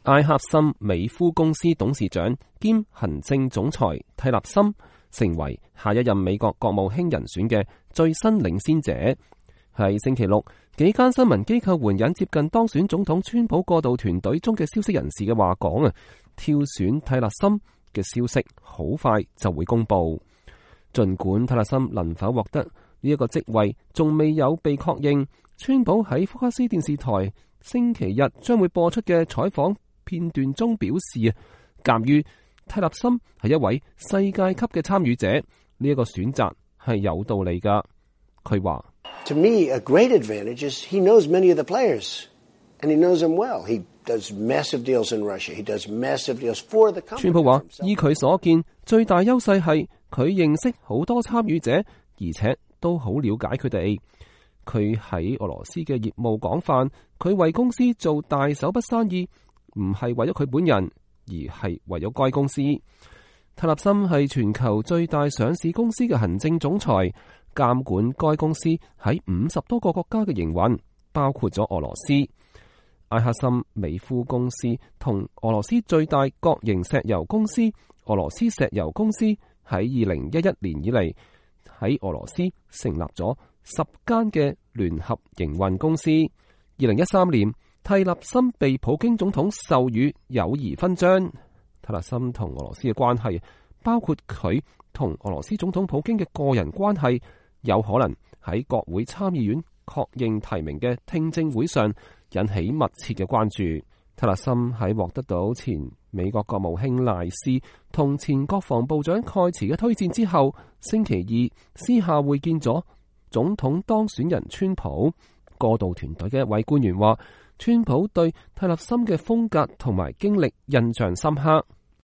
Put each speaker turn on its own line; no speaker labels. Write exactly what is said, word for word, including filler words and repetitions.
埃克森美孚公司董事長兼行政總裁蒂勒森成為下一任美國國務卿人選嘅最新領先者。喺星期六，幾間新聞機構援引接近當選總統川普過渡團隊中嘅消息人士嘅話講啊，挑選蒂勒森嘅消息好快就會公布。儘管蒂勒森能否獲得呢一個職位仲未有被確認，川普喺福克斯電視台星期日將會播出嘅採訪片段中表示啊，鑑於蒂勒森係一位世界級嘅參與者，呢一個選擇係有道理噶。佢話
：To me, a great advantage is he knows many of the players, and he knows them well. He does massive deals in Russia. He does massive deals for the company.
川普話：依佢所見，最大優勢係佢認識好多參與者，而且都好了解佢哋。佢喺俄羅斯嘅業務廣泛，佢為公司做大手筆生意，唔係為咗佢本人，而係為咗該公司。蒂勒森係全球最大上市公司嘅行政總裁，監管該公司喺五十多個國家嘅營運，包括咗俄羅斯。埃克森美孚公司同俄羅斯最大國營石油公司俄羅斯石油公司喺二零一一年以嚟喺俄羅斯成立咗十間嘅聯合營運公司。二零一三年，蒂勒森被普京總統授予友誼勳章。蒂勒森同俄羅斯嘅關係，包括佢同俄羅斯總統普京嘅個人關係，有可能喺國會參議院確認提名嘅聽證會上引起密切嘅關注。蒂勒森喺獲得到前美國國務卿賴斯同前國防部長蓋茨嘅推薦之後，星期二私下會見咗總統當選人川普。過渡團隊嘅一位官員話，川普對蒂勒森嘅風格同埋經歷印象深刻。